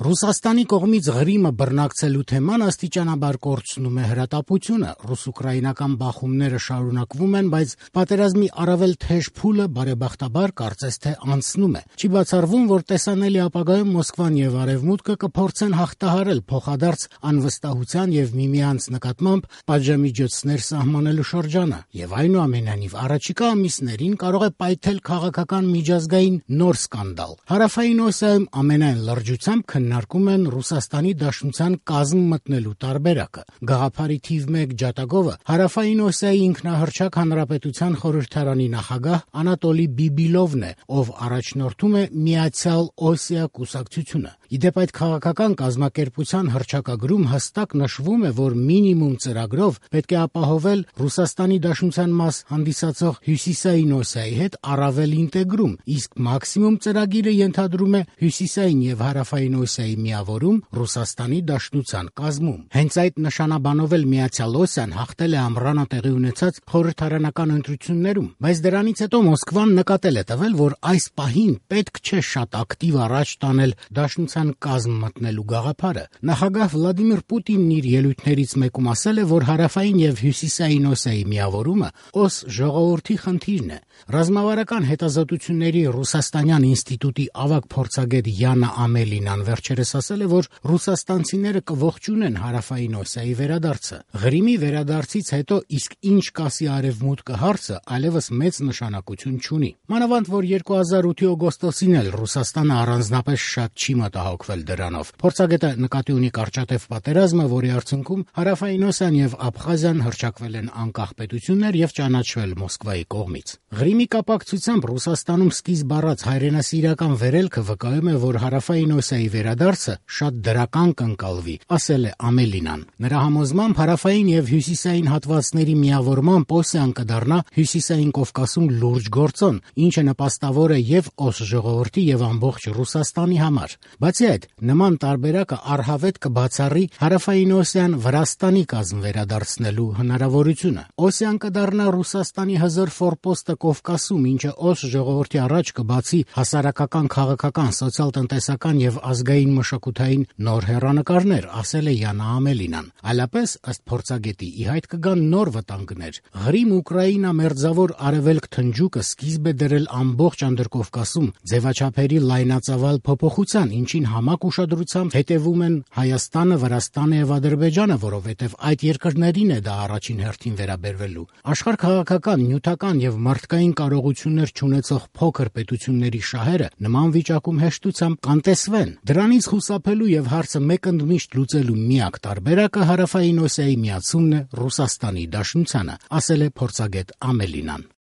Ռուսաստանի կողմից Ղրիմը բռնակցելու թեման աստիճանաբար կորցնում է հրատապությունը, ռուս-ուկրաինական բախումները շարունակվում են, բայց պատերազմի առավել թեժ փուլը բարեբախտաբար կարծես թե անցնում է։ Չի բացառվում, որ տեսանելի ապագայում Մոսկվան եւ Արևմուտքը կփորձեն հաղթահարել փոխադարձ անվստահության եւ միմյանց նկատմամբ պատժամիջոցներ սահմանելու շրջանը, եւ այնուամենայնիվ առաջիկա ամիսներին կարող է պայթել քաղաքական միջազգային նոր սկանդալ։ Հարավային Օսիայում ամենայն լրջությամբ քննարկում են Ռուսաստանի Դաշնության կազմ մտնելու տարբերակը։ Գաղափարի թիվ 1 ջատագովը Հարավային Օսիայի ինքնահռչակ հանրապետության խորհրդարանի նախագահ Անատոլի Բիբիլովն է, ով առաջնորդում է Միացյալ Օսիա կուսակցությունը։ Իդեպ այդ քաղաքական կազմակերպության հռչակագրում հստակ նշվում է, որ մինիմում ծրագրով պետք է ապահովել Ռուսաստանի Դաշնության մաս հանդիսացող Հյուսիսային Օսիայի հետ առավել ինտեգրում, իսկ մաքսիմում ծրագիրը ենթադրում է Հյուսիսային եւ Հարավային Օսիայի միավորում Ռուսաստանի Դաշնության կազմում։ Հենց այդ նշանաբանով էլ Միացյալ Օսիան հաղթել է ամռանը տեղի ունեցած խորհրդարանական ընտրություններում, բայց դրանից հետո Մոսկվան նկատել է տվել, որ այս պահին պետք չէ շատ ակտիվ առաջ տանել Դաշնության կազմ մտնելու գաղափարը։ Նախագահ Վլադիմիր Պուտինն իր ելույթներից մեկում ասել է, որ Հարավային եւ Հյուսիսային Օսիայի միավորումը օս ժողովրդի խնդիրն է։ Ռազմավարական հետազոտությունների Ռուսաստանյան ինստիտուտի ավագ փորձագետ Յանա Ամելինան վերջերս ասել է, որ ռուսաստանցիները կողջունեն Հարավային Օսիայի վերադարձը։ Ղրիմի վերադարձից հետո իսկ ինչ կասի Արևմուտքը հարցը այլևս մեծ նշանակություն չունի։ Մանավանդ որ 2008-ի օգոստոսին էլ Ռուսաստանը առանձնապես շատ չի մտահոգվել դրանով։ Փորձագետը նկատի ունի կարճատև պատերազմը, որի արդյունքում Հարավային Օսիան եւ Աբխազիան հռչակվել են անկախ պետություններ եւ ճանաչվել Մոսկվայի կողմից։ Ղրիմի կապակցությամբ Ռուսաստանում սկիզբ առած հայրենասիրական վերելքը վկայում է, որ Հարավային Օսիայի վերադարձը շատ դրական կընկալվի, ասել է Ամելինան։ Նրա համոզմամբ Հարավային եւ Հյուսիսային հատվածների միավորմամբ Օսիան կդառնա Հյուսիսային Կովկասում լուրջ գործոն, ինչը նպաստավոր է եւ օս ժողովրդի եւ ամբողջ Ռուսաստանի համար։ Բացի այդ, նման տարբերակը առհավետ կբացառի Հարավային Օսիան Վրաստանի կազմ վերադարձնելու հնարավորությունը։ Օսիան կդառնա Ռուսաստանի հզոր ֆորպոստը Կովկասում, ինչը օս ժողովրդի առաջ կբացի հասարակական, քաղաքական, սոցիալ-տնտեսական եւ ազգային մշակութային նոր հեռանկարներ, ասել է Յանա Ամելինան։ Այլապես, ըստ փորձագետի, ի հայտ կգան նոր վտանգներ։ Ղրիմ-Ուկրաինա մերձավոր արևելք թնջուկը սկիզբ է դրել ամբողջ Անդրկովկասում ձևաչափերի լայնածավալ փոփոխության, ինչին համակ ուշադրությամբ հետևում են Հայաստանը, Վրաստանը եւ Ադրբեջանը, որովհետեւ այդ երկրներին է դա առաջին հերթին վերաբերվելու։ Աշխարհ-քաղաքական, նյութական եւ մարդկային կարողություններ չունեցող փոքր պետությունների շահերը նման վիճակում հեշտությամբ կանտեսվեն։ Դրանից խուսափելու եւ հարցը մեկընդմիշտ լուծելու միակ տարբերակը Հարավային Օսիայի միացումն է Ռուսաստանի Դաշնությանը, ասել է փորձագետ Ամելինան։